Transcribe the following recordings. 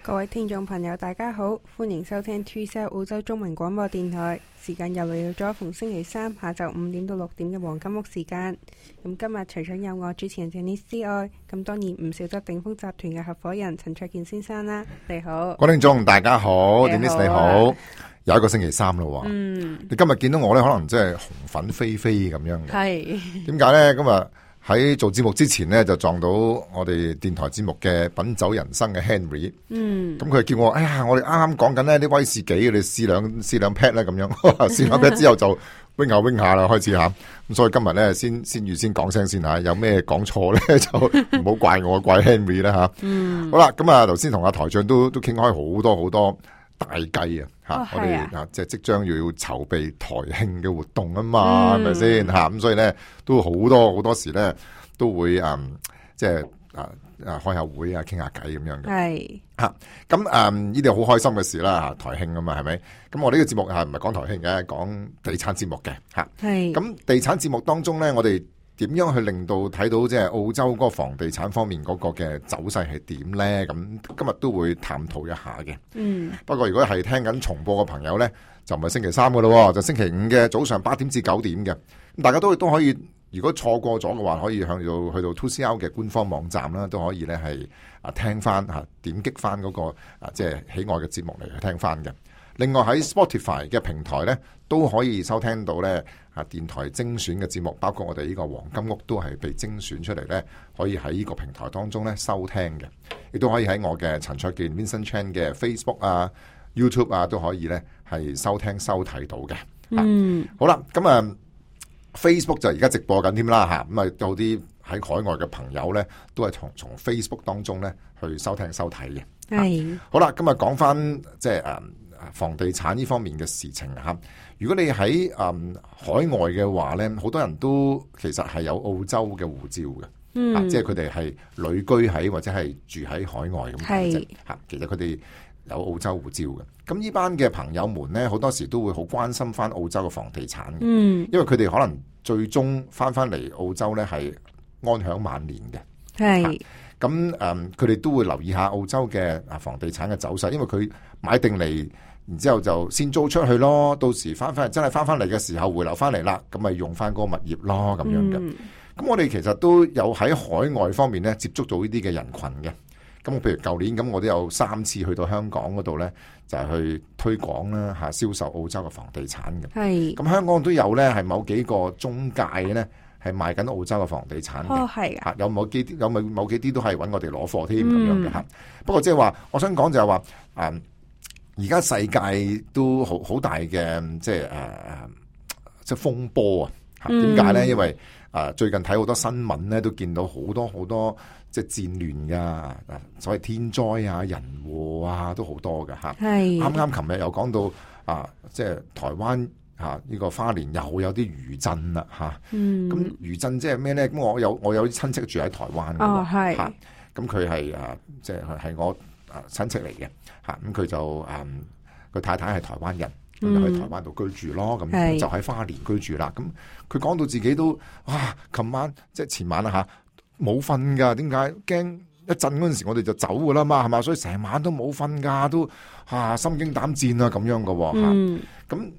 各位聽眾朋友大家好，歡迎收聽 2CR 澳洲中文廣播電台，時間又嚟到咗逢星期三下晝5點到6點嘅黃金屋時間。咁今日除咗有我主持人 Janice 之外，咁當然唔少得鼎豐集團嘅合夥人陳焯楗先生啦。你好，各位聽眾大家好，Janice 你好，有一個星期三咯。你今日見到我咧，可能真係紅粉飛飛咁樣嘅。係點解咧？今日喺做節目之前咧，就撞到我哋電台節目嘅品酒人生嘅 Henry。咁佢叫我，哎呀，我哋啱啱講緊呢啲威士忌，你試兩 pat 咧咁樣，試兩 pat 之後就 wing 下啦，開始吓。咁所以今日咧，先預先講聲先吓，有咩講錯咧就唔好怪我，怪 Henry 啦吓。好啦，咁啊，頭先同阿台長都傾開好多大計啊！我哋即將要籌備台慶嘅活動啊嘛，係咪先吓？咁所以咧都好多時咧都會開下會啊，傾下偈咁樣嘅。係吓咁呢啲好開心嘅事啦，台慶啊嘛，係咪？咁我呢個節目係唔係講台慶嘅，講地產節目嘅吓。係咁地產節目當中咧，我哋點樣去令到睇到即係澳洲嗰個房地產方面嗰個嘅走勢係點咧？咁今日都會探討一下嘅。不過如果係聽緊重播嘅朋友咧，就唔係星期三噶咯，就星期五嘅早上8點至9點嘅。咁大家都可以，如果錯過咗嘅話，可以去到 2CR 嘅官方網站啦，都可以咧係聽翻點擊翻嗰個即係喜愛嘅節目嚟去聽翻嘅。另外喺 Spotify 嘅平台咧，都可以收聽到咧電台精選嘅節目，包括我哋呢個黃金屋都係被精選出嚟咧，可以喺呢個平台當中咧收聽嘅，亦都可以喺我嘅陳焯楗 Vincent Chan 嘅 Facebook 啊、YouTube 啊都可以咧係收聽收睇到嘅。好啦，咁Facebook 就而家直播緊添啦吓，咁有啲喺海外嘅朋友咧，都係從 Facebook 當中咧去收聽收睇嘅。係好啦，今日講翻即係房地產呢方面嘅事情吓。如果你喺海外嘅話咧，好多人都其實係有澳洲嘅護照嘅，即係佢哋係旅居喺或者係住喺海外咁嘅啫吓。其實佢哋有澳洲護照嘅。咁呢班嘅朋友們咧，好多時都會好關心翻澳洲嘅房地產嘅，因為佢哋可能最終翻嚟澳洲咧係安享晚年嘅。係咁佢哋都會留意下澳洲嘅房地產嘅走勢，因為佢買定嚟。然之後就先租出去咯，到時真係翻嚟嘅時候回流翻嚟啦，咁咪用翻嗰個物業咯咁樣嘅。咁我哋其實都有喺海外方面咧接觸到呢啲嘅人群嘅。咁譬如舊年咁，我都有3次去到香港嗰度咧，就係去推廣啦嚇，銷售澳洲嘅房地產嘅。係。咁香港都有咧，係某幾個中介咧係賣緊澳洲嘅房地產嘅。哦，係啊。有某幾啲都係揾我哋攞貨添咁樣嘅嚇。不過即係話，我想講就係話而家世界都好大嘅即係風波啊！點解咧？因為最近睇好多新聞咧，都見到好多即係戰亂噶，所謂天災啊、人禍啊，都好多噶嚇。係啱琴日又講到即係台灣呢個花蓮又有啲餘震啦嚇。咁餘震即係咩咧？咁我有啲親戚住喺台灣嘅。哦，係。咁佢係即係我親戚嚟嘅嚇，咁佢就佢太太係台灣人，咁就喺台灣度居住咯，咁就喺花蓮居住啦。咁佢講到自己都琴晚即係前晚啦嚇，冇瞓噶，點解？驚一震嗰陣時我哋就走噶啦嘛，係嘛？所以成晚都冇瞓噶，都心驚膽戰啊咁樣噶嚇。咁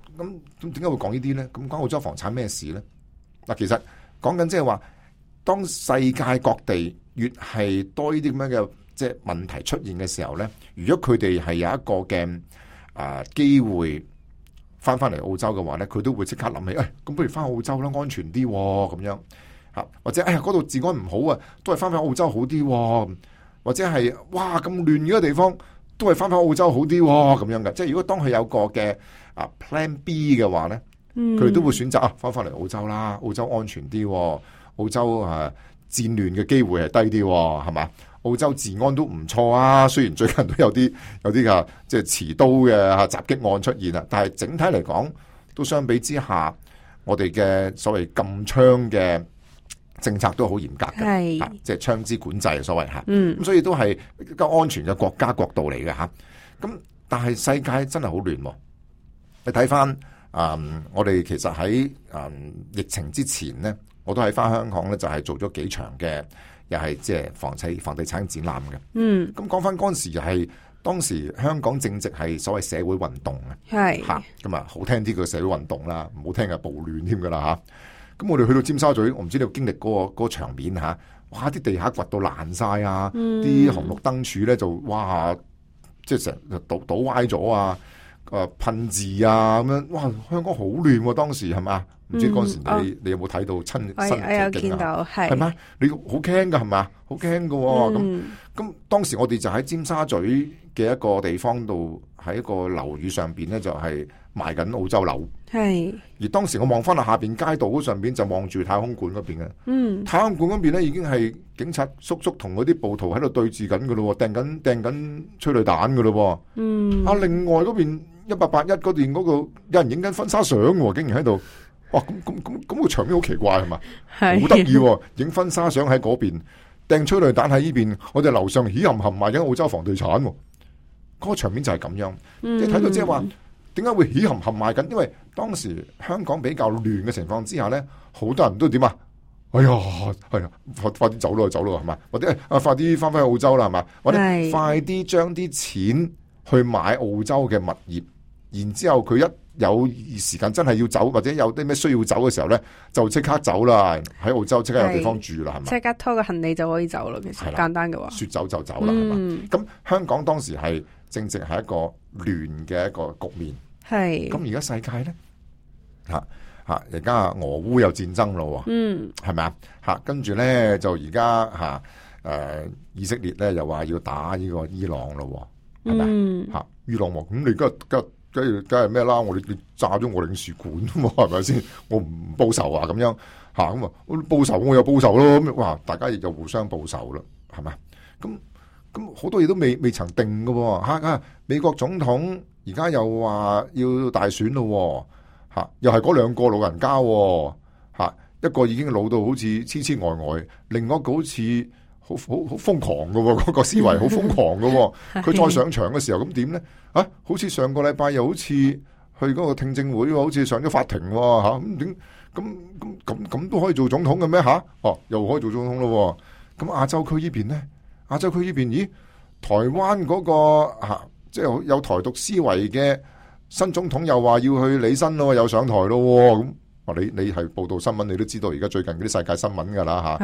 點解會講呢啲咧？咁講澳洲房產咩事咧？嗱，其實講緊即係話，當世界各地越係多呢啲咁樣嘅即係問題出現嘅時候咧，如果佢哋係有一個嘅機會翻嚟澳洲嘅話咧，佢都會即刻諗起，咁不如翻澳洲啦，安全啲咁樣嚇，或者嗰度治安唔好啊，都係翻澳洲好啲，或者係哇咁亂嘅地方，都係翻澳洲好啲咁樣嘅。即係如果當佢有個嘅Plan B 嘅話咧，佢哋都會選擇翻嚟澳洲啦，澳洲安全啲，澳洲戰亂嘅機會係低啲，係嘛？澳洲治安都唔錯啊，雖然最近都有啲嘅即係持刀嘅襲擊案出現啦，但係整體嚟講，都相比之下，我哋嘅所謂禁槍嘅政策都好嚴格嘅，即係槍支管制所謂嚇。咁所以都係一個安全嘅國家國度嚟嘅嚇。咁但係世界真係好亂喎。你睇翻我哋其實喺疫情之前咧，我都喺翻香港咧，就係做咗幾場嘅。又係即係房地產展覽嘅。咁講翻嗰陣時又係當時香港正值係所謂社會運動係嚇，咁啊好聽啲叫社會運動啦，唔好聽嘅暴亂添噶啦嚇。咁我哋去到尖沙咀，我唔知你有經歷嗰個場面嚇，哇！啲地下掘到爛晒啊，啲紅綠燈柱咧就哇，即係成日倒歪咗啊，噴字啊咁樣，哇！香港好亂喎，當時係嘛？唔知嗰時你有冇睇到親身我有見到係咪？你好驚㗎係嘛？好驚㗎喎咁當時我哋就喺尖沙咀嘅一個地方度，喺一個樓宇上邊咧就係賣緊澳洲樓。係。而當時我望翻落下邊街道嗰上邊就望住太空館嗰邊嘅。太空館嗰邊咧已經係警察叔叔同嗰啲暴徒喺度對峙緊㗎咯，掟緊催淚彈㗎咯。另外嗰邊1881嗰邊嗰個有人影緊婚紗相喎，竟然喺度。哇！咁個場面好奇怪係嘛？好得意喎！影婚紗相喺嗰邊，掟催淚彈喺呢邊，我哋樓上起冚冚賣緊澳洲房地產喎。嗰個場面就係咁樣，即係睇到即係話點解會起冚冚賣緊？因為當時香港比較亂嘅情況之下咧，好多人都點啊？哎呀，係啊，快啲走咯係嘛？或者快啲翻返去澳洲啦係嘛？或者快啲將啲錢去買澳洲嘅物業，然之後佢一有時間真係要走，或者有啲咩需要走嘅時候咧，就即刻走啦！喺澳洲即刻有地方住啦，係咪？即刻拖個行李就可以走啦，其實簡單嘅話，說走就走啦，係嘛？咁香港當時係正值係一個亂嘅一個局面，係咁而家世界咧而家俄烏有戰爭咯，係咪啊？跟住咧就而家以色列咧又話要打呢個伊朗咯，係咪伊朗咁你梗係咩啦？你炸咗我領事館嘛，係咪先？我唔報仇啊，咁樣咁啊，報仇我又報仇咯，咁哇，大家亦就互相報仇啦，係咪？咁好多嘢都未曾定噶，美國總統而家又話要大選咯，又係嗰兩個老人家，一個已經老到好似痴痴呆呆，另外一個好似好瘋狂噶，嗰個思維好瘋狂噶，佢再上場嘅時候咁點咧？好似上個禮拜又好似去嗰個聽證會，好似上咗法庭咁點？咁都可以做總統嘅咩？又可以做總統咯。咁亞洲區呢邊咧？亞洲區呢邊，咦？台灣嗰個即係有台獨思維嘅新總統又話要去履新咯，又上台咯。咁你係報道新聞，你都知道而家最近嗰啲世界新聞噶啦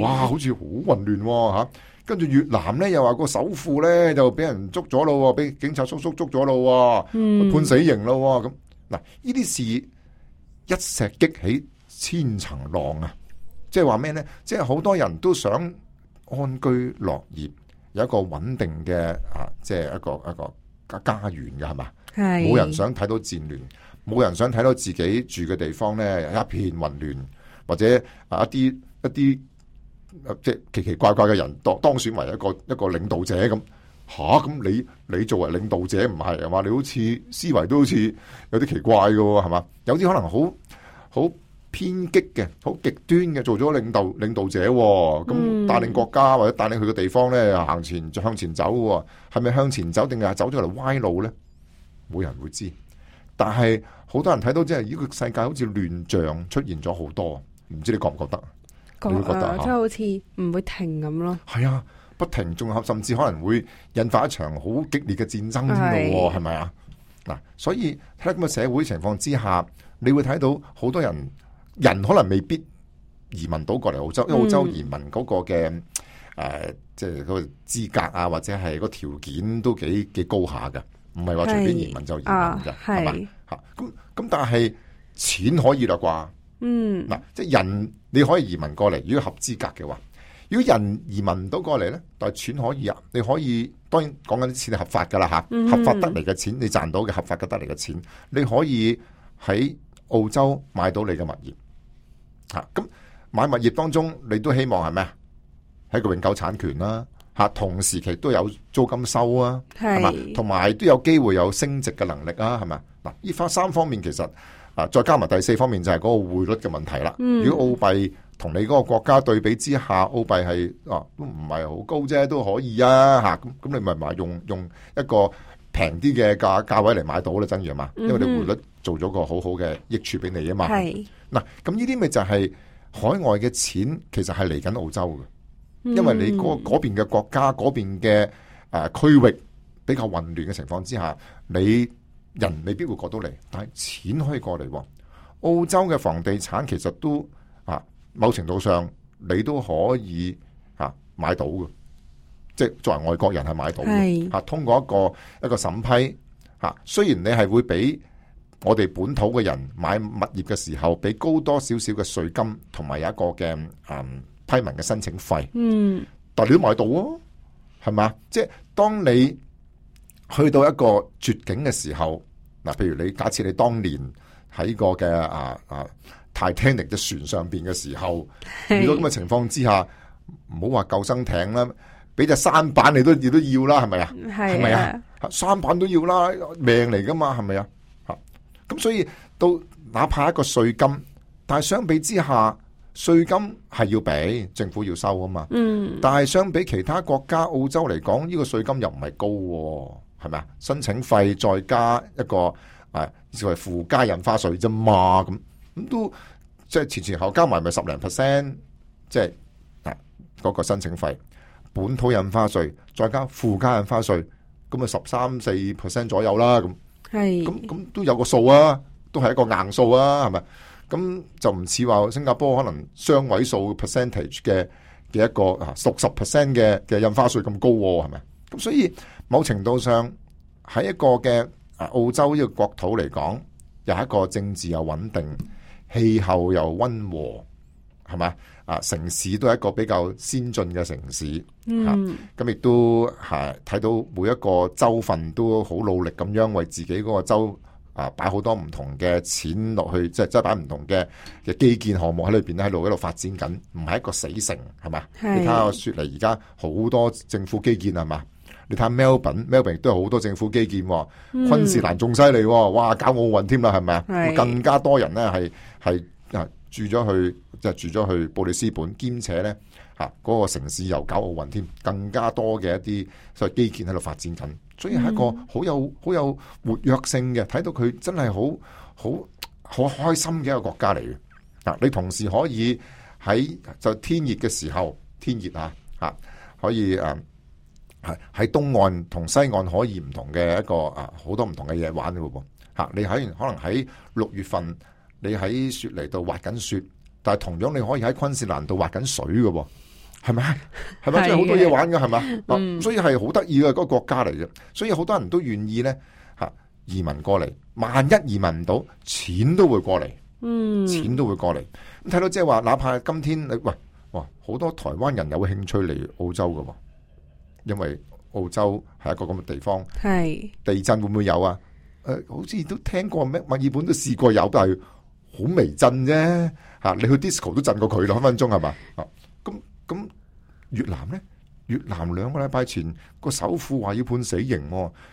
哇，好似好混亂跟住越南咧又話個首富咧就俾人捉咗咯，俾警察叔叔捉咗咯，判死刑咯。咁嗱，呢啲事一石激起千層浪啊！即係話咩咧？即係好多人都想安居樂業，有一個穩定嘅即係一個家園嘅係嘛？冇人想睇到戰亂，冇人想睇到自己住嘅地方咧一片混亂，或者一啲即係奇奇怪怪嘅人當選為一個領導者咁咁你作為領導者唔係嘛？你好似思維都好似有啲奇怪嘅係嘛？有啲可能好偏激嘅，好極端嘅做咗領導者咁帶領國家或者帶領佢嘅地方咧向前走，係咪向前走定係走咗嚟歪路咧？冇人會知。但係好多人睇到即係呢個世界好似亂象出現咗好多，唔知你覺唔覺得？你會覺得即係好似唔會停咁咯。係啊，不停，仲甚至可能會引發一場好激烈嘅戰爭添咯，係咪啊？嗱，所以喺咁嘅社會情況之下，你會睇到好多人可能未必移民到過嚟澳洲，因為澳洲移民嗰個嘅即係嗰個資格啊，或者係個條件都幾高下嘅，唔係話隨便移民就移民嘅，係嘛？咁但係錢可以啦啩？嗱，即係人你可以移民過嚟，如果合資格嘅話，如果人移民唔到過嚟咧，但係錢可以啊，你可以當然講緊啲錢係合法噶啦合法得嚟嘅錢，你賺到嘅合法嘅得嚟嘅錢，你可以喺澳洲買到你嘅物業，咁買物業當中你都希望係咩啊？係一個永久產權啦，同時期都有租金收啊，係嘛，同埋都有機會有升值嘅能力啊，係咪？嗱，呢三方面其實。再加埋第四方面就係嗰個匯率嘅問題啦。如果澳幣同你嗰個國家對比之下，澳幣係都唔係好高啫，都可以啊咁你咪買用一個平啲嘅價位嚟買到啦，真係嘛？因為你匯率做咗個好好嘅益處俾你啊嘛。係嗱，咁呢啲咪就係海外嘅錢，其實係嚟緊澳洲嘅，因為你嗰邊嘅國家嗰邊嘅區域比較混亂嘅情況之下，你人未必會過到嚟，但係錢可以過嚟。澳洲嘅房地產其實都某程度上你都可以買到嘅，即係作為外國人係買到嘅。通過一個審批雖然你係會比我哋本土嘅人買物業嘅時候，俾高多少少嘅稅金，同埋有一個嘅批文嘅申請費。但你都買到啊，係嘛？即係當你去到一個絕境嘅時候，譬如你假設你當年喺個嘅Titanic 嘅船上邊嘅時候，遇到咁嘅情況之下，唔好話救生艇啦，俾隻舢板你都要啦，係咪啊？係咪啊？舢板都要啦，命嚟噶嘛，係咪啊？咁所以到哪怕一個稅金，但係相比之下，稅金係要俾政府要收啊嘛。但係相比其他國家，澳洲嚟講，呢個稅金又唔係高，係咪啊？申請費再加一個所謂附加印花稅啫嘛，咁都即係前後加埋咪10%，即係嗰個申請費，本土印花稅再加附加印花稅，咁咪13-14% 左右啦。咁都有個數啊，都係一個硬數啊，係咪？咁就唔似話新加坡可能雙位數 percentage 嘅一個60% 嘅印花稅咁高，係咪？咁所以某程度上喺一個嘅澳洲呢個國土嚟講，又係一個政治又穩定，氣候又溫和，係咪？城市都係一個比較先進嘅城市，咁亦都係睇到每一個州份都好努力咁樣為自己嗰個州擺好多唔同嘅錢落去，即係擺唔同嘅基建項目喺裏邊咧，喺度發展緊，唔係一個死城，係嘛？你睇下雪梨而家好多政府基建，係嘛？你睇下 Melbourne 亦都有好多政府基建，昆士蘭仲犀利，哇，搞奧運添啦，係咪啊？更加多人咧係住咗去布里斯本，兼且咧嗰個城市又搞奧運添，更加多嘅一啲所謂基建喺度發展緊，所以係一個好有活躍性嘅，睇到佢真係好開心嘅一個國家嚟嘅。你同時可以喺就天熱嘅時候，天熱可以喺東岸同西岸可以唔同嘅一個好多唔同嘅嘢玩嘅喎。你可能喺6月份。你喺雪梨度滑緊雪，但係同樣你可以喺昆士蘭度滑緊水嘅喎，係咪？係咪？即係好多嘢玩嘅，係咪？所以係好得意嘅嗰個國家嚟嘅，所以好多人都願意咧移民過嚟。萬一移民唔到，錢都會過嚟，錢都會過嚟。咁睇到即係話，哪怕今天你好多台灣人有興趣嚟澳洲嘅喎，因為澳洲係一個咁嘅地方。地震會唔會有啊？好似都聽過咩？墨爾本都試過有，但係好微震啫，你去 disco 都震過佢咯，分分鐘係嘛？咁越南咧？越南2個禮拜前個首富話要判死刑，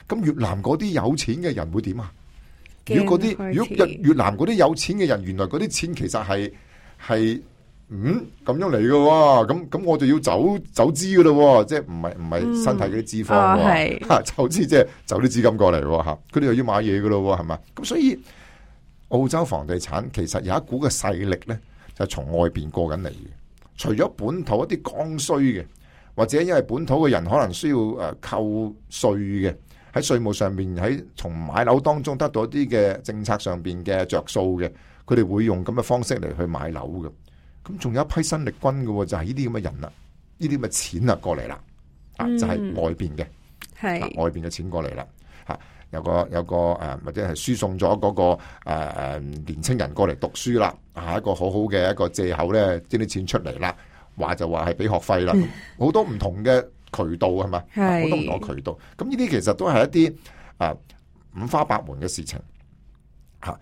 咁越南嗰啲有錢嘅人會點啊？如果越南嗰啲有錢嘅人，原來嗰啲錢其實係咁樣嚟嘅喎，咁我就要走資嘅咯，即係唔係身體嗰啲脂肪，走資即係走啲資金過嚟喎，佢哋又要買嘢嘅咯，係嘛？咁所以澳洲房地產其實有一股嘅勢力咧，就係從外邊過緊嚟嘅。除咗本土一啲剛需嘅，或者因為本土嘅人可能需要扣稅嘅，喺稅務上面喺從買樓當中得到一啲嘅政策上邊嘅着數嘅，佢哋會用咁嘅方式嚟去買樓嘅。咁仲有一批新力軍嘅，就係呢啲咁嘅人啦，呢啲咁嘅錢過嚟啦，就係外邊嘅，外邊嘅錢過嚟啦，有個或者係輸送咗嗰個年青人過嚟讀書啦，一個好好嘅一個借口咧，將啲錢出嚟啦，就話係俾學費啦，好多唔同嘅渠道係嘛，好多唔同嘅渠道，咁呢啲其實都係一啲五花八門嘅事情，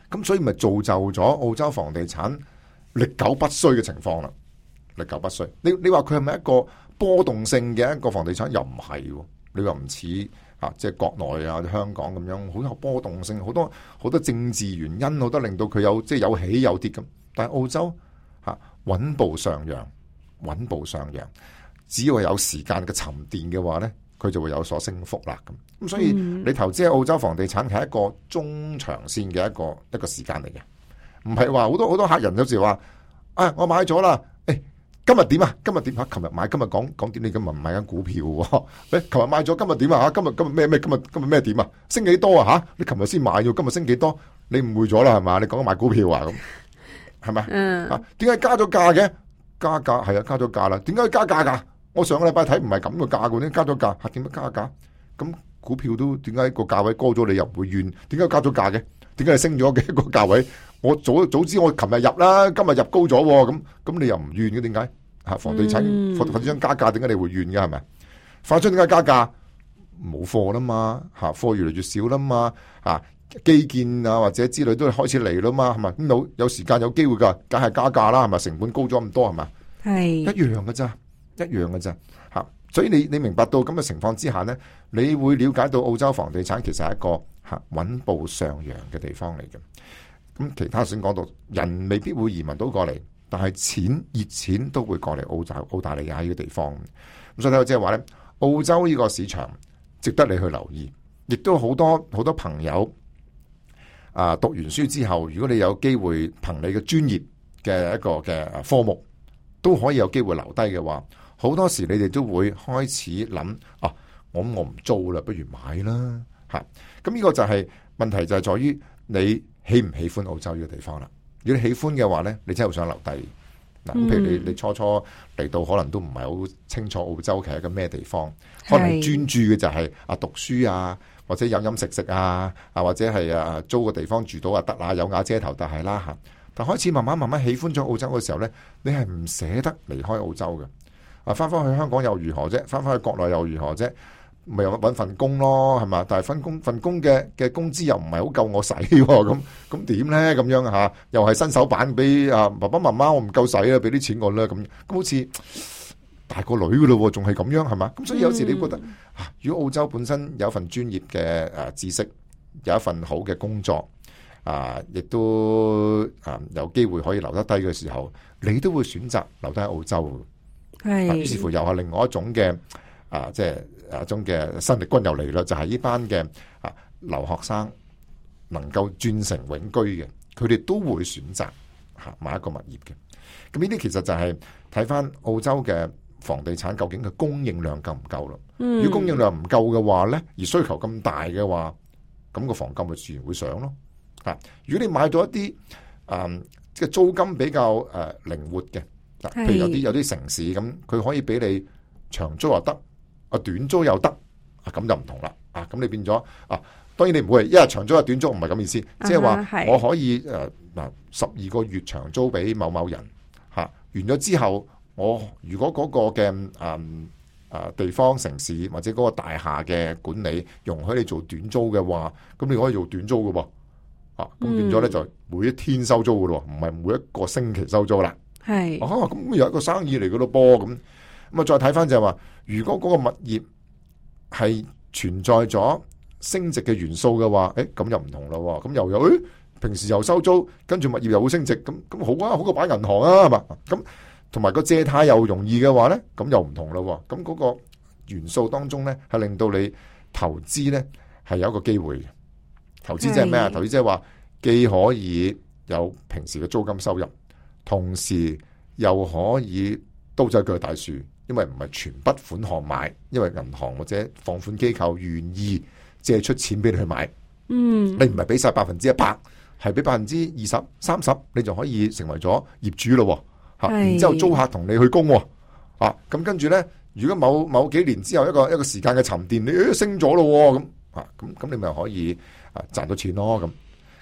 咁所以咪造就咗澳洲房地產歷久不衰嘅情況啦，歷久不衰。你話佢係咪一個波動性嘅一個房地產？又唔係，你話唔似即係國內香港咁樣好有波動性，好多政治原因，好多令到佢有即係有起有跌咁。但係澳洲穩步上揚，穩步上揚，只要有時間嘅沉澱嘅話咧，佢就會有所升幅啦。咁所以你投資喺澳洲房地產係一個中長線嘅一個時間嚟嘅。唔係話好多客人有時話我買咗啦，今日點啊？今日點啊？琴日買，今日講點？你今日唔買緊股票喎？你琴日買咗，今日點啊？吓，今日咩？今日咩點啊？升幾多啊？吓，你琴日先買咗，今日升幾多？你誤會咗啦，係嘛？你講緊買股票啊？咁係咪？啊，點解加咗價嘅？加價係啊，加咗價啦。點解加價噶？我上個禮拜睇唔係咁嘅價嘅，點加咗價？吓，點解加價？咁股票都點解個價位高咗，你又唔會怨？點解加咗價嘅？點解係升咗嘅一個價位？我早知我琴日入啦，今日入高咗，咁你又唔怨嘅？點解？吓，房地產加價，點解你會怨嘅？係咪？發出點解加價？冇貨啦嘛，吓，貨越嚟越少啦嘛，吓，基建啊或者之類都開始嚟啦嘛，係咪？咁有時間有機會噶，梗係加價啦，係咪？成本高咗咁多，係咪？係一樣嘅咋，吓。所以你明白到咁嘅情況之下呢，你會了解到澳洲房地產其實係一個穩步上揚嘅地方嚟嘅。咁其他先講到，人未必會移民到過嚟，但係熱錢都會過嚟澳大利亞呢個地方。咁所以睇到即係話呢，澳洲呢個市場值得你去留意，亦都好多朋友讀完書之後，如果你有機會憑你嘅專業嘅一個嘅科目，都可以有機會留低嘅話，好多時你哋都會開始諗啊，我唔租啦，不如買啦吓。咁呢個就係問題，就係在於你喜唔喜歡澳洲呢個地方啦。如果你喜歡嘅話呢，你真係好想留低嗱。譬如你初初嚟到，可能都唔係好清楚澳洲其實係一個咩地方，可能專注嘅就係讀書啊，或者飲食啊，或者係租個地方住到得啦，有瓦遮頭就係啦吓。但開始慢慢喜歡咗澳洲嘅時候呢，你係唔捨得離開澳洲嘅。翻翻去香港又如何啫？翻翻去國內又如何啫？咪又搵份工咯，係嘛？但係份工嘅工資又唔係好夠我使，咁點咧？咁樣吓，又係新手版，俾爸爸媽媽我唔夠使啦，俾啲錢我啦，咁好似大個女噶咯，仲係咁樣係嘛？咁所以有時你覺得，如果澳洲本身有一份專業嘅知識，有一份好嘅工作，亦都有機會可以留得低嘅時候，你都會選擇留低喺澳洲。於是乎又係另外一種嘅即係一種嘅新力軍又嚟啦，就係呢班嘅留學生能夠轉成永居嘅，佢哋都會選擇買一個物業嘅。咁呢啲其實就係睇翻澳洲嘅房地產究竟嘅供應量夠唔夠咯？如果供應量唔夠嘅話咧，而需求咁大嘅話，咁個房價咪自然會上咯。如果你買到一啲即係租金比較靈活嘅。譬如有啲城市咁，佢可以俾你長租又得，短租又得，咁就唔同啦。咁你變咗當然你唔會一日長租一日短租，唔係咁意思，即係話我可以12個月長租俾某某人完咗之後，我如果嗰個嘅地方城市或者嗰個大廈嘅管理容許你做短租嘅話，咁你可以做短租嘅噃，咁變咗咧就每一天收租嘅咯，唔係每一個星期收租啦。係咁又一個生意嚟嘅咯噃，咁再睇翻就係話，如果嗰個物業係存在咗升值嘅元素嘅話，咁又唔同咯，咁又有平時又收租，跟住物業又會升值，咁好啊，好過擺銀行啊，係嘛？咁同埋個借貸又容易嘅話咧，咁又唔同咯，咁嗰個元素當中咧係令到你投資咧係有一個機會嘅。投資即係咩啊？投資即係話既可以有平時嘅租金收入，同時又可以刀仔鋸大樹，因為唔係全筆款項買，因為銀行或者放款機構願意借出錢俾你去買。你唔係俾晒100%，係俾20%、30%，你就可以成為咗業主咯。然之後租客同你去供。咁跟住呢，如果某幾年之後一個時間嘅沉澱，你升咗咯，咁你咪可以賺到錢咯。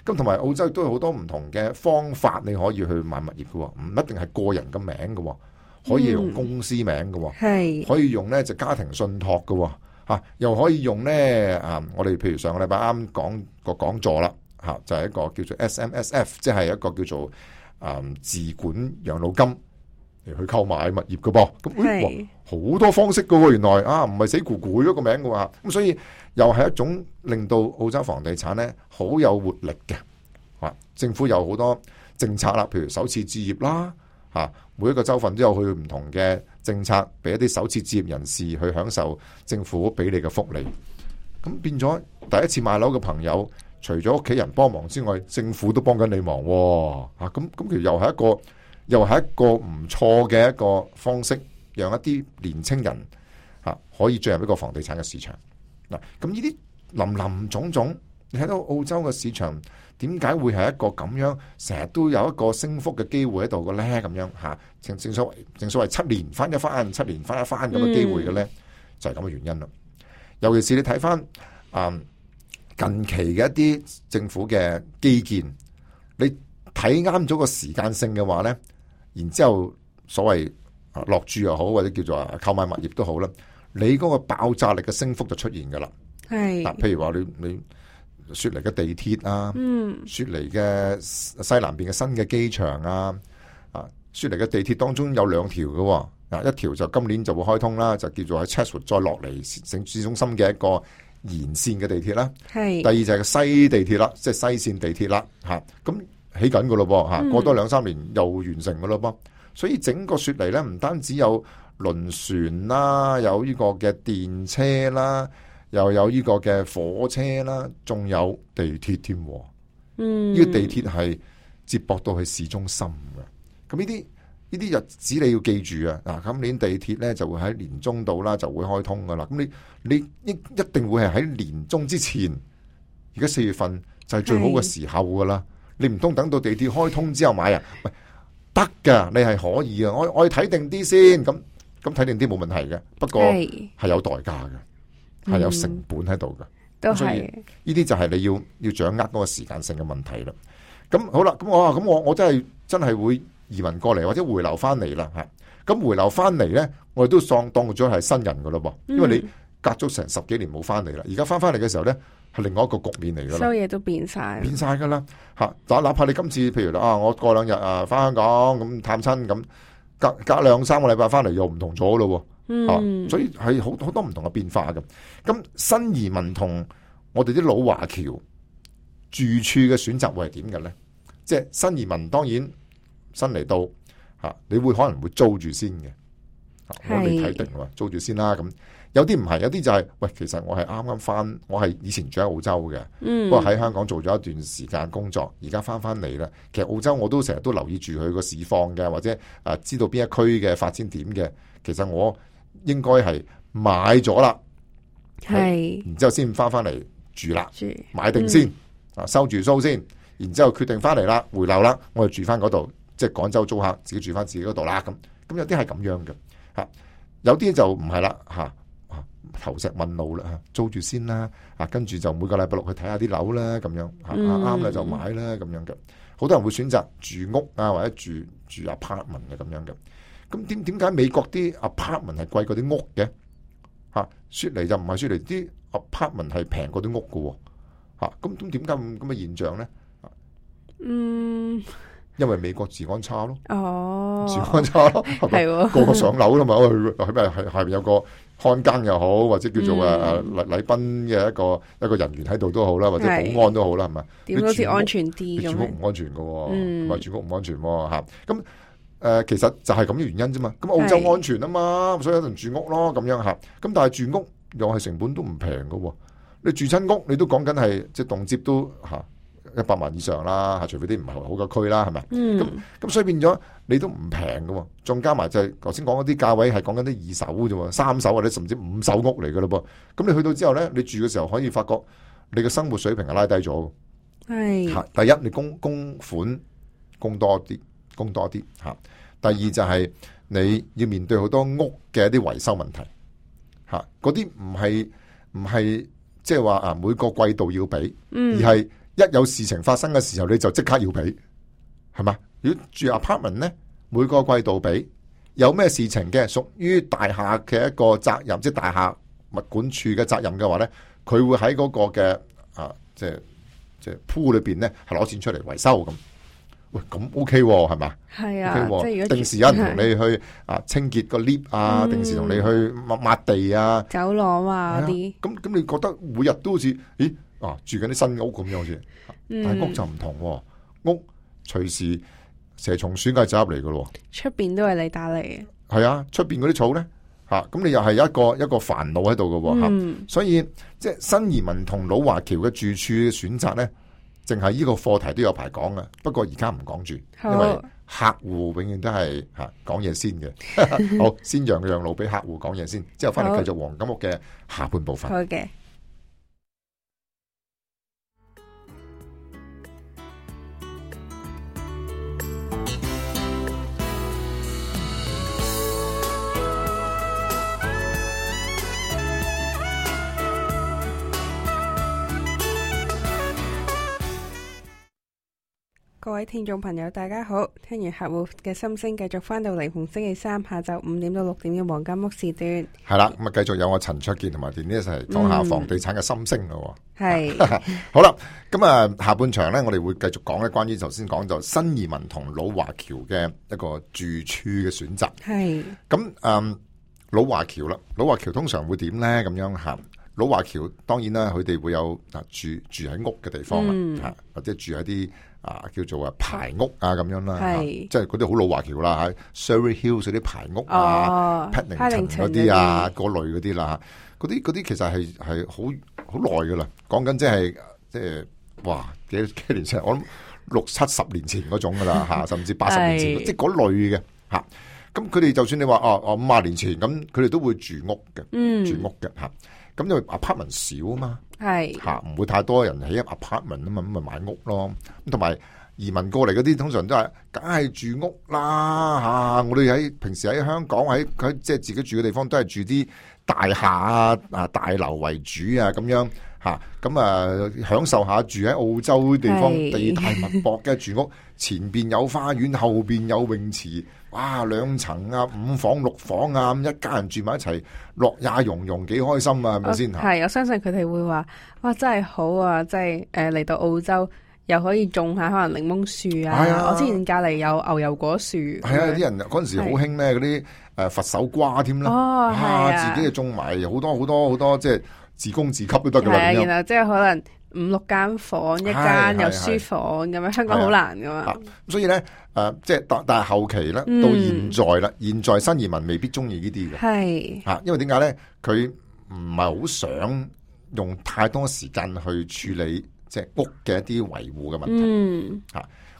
咁同埋澳洲都有好多唔同嘅方法，你可以去買物業嘅，唔一定係個人嘅名嘅，可以用公司名嘅，可以用呢就家庭信託嘅，又可以用呢我哋譬如上個禮拜啱講個講座啦，就係一個叫做 SMSF， 即係一個叫做自管養老金嚟去購買物業嘅噃。咁好多方式嘅，原來唔係死咕咕一個名嘅，咁所以又係一種令到澳洲房地產咧好有活力嘅。政府有好多政策啦，譬如首次置業啦，每一個州份都有佢唔同嘅政策，俾一啲首次置業人士去享受政府俾你嘅福利。咁變咗第一次買樓嘅朋友，除咗屋企人幫忙之外，政府都幫緊你忙。咁其實又係一個又係一個唔錯嘅一個方式，讓一啲年青人可以進入一個房地產嘅市場。嗱，咁呢啲林林總總，你睇到澳洲嘅市場點解會係一個咁樣，成日都有一個升幅嘅機會喺度嘅咧？咁樣嚇，正所謂7年翻一番，7年翻一番咁嘅機會嘅咧，就係咁嘅原因啦。尤其是你睇翻近期嘅一啲政府嘅基建，你睇啱咗個時間性嘅話咧，然之後所謂落注又好，或者叫做購買物業都好啦，你嗰個爆炸力嘅升幅就出現噶啦。係譬如話你雪梨嘅地鐵啊，雪梨嘅西南邊嘅新嘅機場啊，雪梨嘅地鐵當中有2條嘅，一條就今年就會開通啦，就叫做喺 Chatswood 再落嚟城市中心嘅一個延線嘅地鐵啦。係第二就係個西地鐵啦，即係西線地鐵啦，咁起緊噶咯噃，過多2-3年又完成噶咯噃。所以整個雪梨咧，唔單止有輪船啦，有呢個嘅電車啦，又有呢個嘅火車啦，仲有地鐵添。呢個地鐵係接駁到去市中心嘅。咁呢啲日子你要記住啊！今年地鐵咧就會喺年中度啦，就會開通噶啦。咁你一定會係喺年中之前，而家4月份就係最好嘅時候噶啦。你唔通等到地鐵開通之後買啊？喂，得噶，你係可以啊！我要睇定啲先，咁睇定啲冇問題嘅。不過係有代價嘅，係有成本喺度嘅。都係呢啲就係你要掌握嗰個時間性嘅問題啦。咁好啦，咁我真係會移民過嚟或者回流翻嚟啦吓。咁回流翻嚟咧，我哋都當咗係新人噶咯噃，因為你隔咗成10幾年冇翻嚟啦，而家翻嚟嘅時候咧，係另外一個局面嚟噶啦，所有嘢都變晒噶啦吓。哪怕你今次譬如我過2日翻香港咁探親咁，隔2-3個禮拜翻嚟又唔同咗咯。所以係好多唔同嘅變化嘅。咁新移民同我哋啲老華僑住處嘅選擇會係點嘅咧？即係新移民當然新嚟到你會可能會租住先嘅，我未睇定喎，租住先啦。咁有啲唔係，有啲就係喂，其實我係啱啱翻，我係以前住喺澳洲嘅，不過喺香港做咗一段時間工作，而家翻嚟啦。其實澳洲我都成日都留意住佢個市況嘅，或者知道邊一區嘅發展點嘅。其實我應該係買咗啦，然之後先翻嚟住啦，買定先，收住租先，然之後決定翻嚟啦，回流啦，我就住翻嗰度，即係廣州租客自己住翻自己嗰度啦。咁有啲係咁樣嘅，有啲就唔係啦，投石問路啦，租住先啦，跟住就每個禮拜6去睇下啲樓啦，咁樣啱啦就買啦，咁樣嘅。好多人會選擇住屋或者住 apartment 嘅咁樣嘅。咁點解美國啲 apartment 係貴過啲屋嘅？雪梨就唔係，雪梨啲 apartment 係平過啲屋嘅。咁點解咁嘅現象咧？因為美國治安差咯。治安差咯，係個個上樓啦嘛，係咪下邊有個看更又好，或者叫做禮賓嘅一個人員喺度都好啦，或者保安都好啦，係咪？點好似安全啲咁？住屋唔安全嘅，唔係住屋唔安全吓。咁其實就係咁嘅原因啫嘛。咁澳洲安全啊嘛，所以有人住屋咯，咁樣吓。咁但係住屋又係成本都唔平嘅。你住親屋，你都講緊係即係動輒都100萬以上啦，除非啲唔係好嘅區啦，係咪？咁所以變咗你都唔平嘅，仲加埋就係頭先講嗰啲價位係講緊啲2手啫，3手或者甚至5手屋嚟嘅咯噃。咁你去到之後咧，你住嘅時候可以發覺你嘅生活水平係拉低咗。係第一，你供款供多啲吓。第二就係你要面對好多屋嘅一啲維修問題吓，嗰啲唔係即係話每個季度要俾，而係一有事情發生嘅時候，你就即刻要俾，係嘛？如果住 apartment 咧，每個季度俾，有咩事情嘅屬於大廈嘅一個責任，即係大廈物管處嘅責任嘅話咧，佢會喺嗰個嘅即係pool裏邊咧，係攞錢出嚟維修咁。喂，咁 OK 係嘛？係啊，即係如果定時有人同你去清潔個 lift 定時同你去抹地走廊嗰啲。咁你覺得每日都好似住緊啲新屋咁樣好似，但係屋就唔同，屋隨時蛇蟲鼠蟻走入嚟噶咯。出邊都係你打理嘅。係啊，出邊嗰啲草咧咁你又係一個煩惱喺度噶。所以即係新移民同老華僑嘅住處選擇咧，淨係呢個課題都有排講嘅。不過而家唔講住，因為客戶永遠都係講嘢先嘅。好，先讓路俾客戶講嘢先，之後翻嚟繼續黃金屋嘅下半部分。好嘅。各位聽眾朋友大家好，聽完客戶嘅心聲，繼續翻到嚟逢星期三下晝5點到6點嘅黃金屋時段。係啦，咁啊繼續有我陳焯楗同埋電呢一齊講下房地產嘅心聲咯。係好啦，咁啊下半場咧，我哋會繼續講咧關於頭先講就新移民同老華僑嘅一個住處嘅選擇。係咁老華僑啦，老華僑通常會點咧？咁樣吓，老華僑當然啦，佢哋會有住喺屋嘅地方啦，或者住喺啲叫做排屋咁樣啦，即係嗰啲好老華僑啦，喺 Surrey Hills 嗰啲排屋Paddington 嗰啲嗰類嗰啲啦，嗰啲其實係好耐噶啦，講緊即係哇幾年前，我諗60-70年前嗰種噶啦甚至80年前，即係嗰類嘅吓。咁佢哋就算你話50年前咁，佢哋都會住屋嘅，住屋嘅吓。咁因為 apartment 少啊嘛，係吓唔會太多人起 apartment 啊嘛，咁咪買屋咯。咁同埋移民過嚟嗰啲，通常都係梗係住屋啦吓。我哋平時喺香港喺即係自己住嘅地方，都係住啲大廈大樓為主咁樣吓。咁享受下住喺澳洲地方地大物博嘅住屋，前邊有花園，後邊有泳池。哇，2層5房6房咁一家人住埋一齊，樂也融融，幾開心啊，係咪先？係，我相信佢哋會話，哇，真係好啊！即係嚟到澳洲又可以種下可能檸檬樹啊。我之前隔籬有牛油果樹。係啊，啲人嗰陣時好興咧，嗰啲佛手瓜添啦。自己就種埋好多，即係自供自給都得噶啦。然後即係可能5-6間房，一間有書房咁樣，香港好難噶嘛。所以咧，即係但係後期咧，到現在啦，現在新移民未必中意呢啲嘅。係因為點解咧？佢唔係好想用太多時間去處理即係屋嘅一啲維護嘅問題。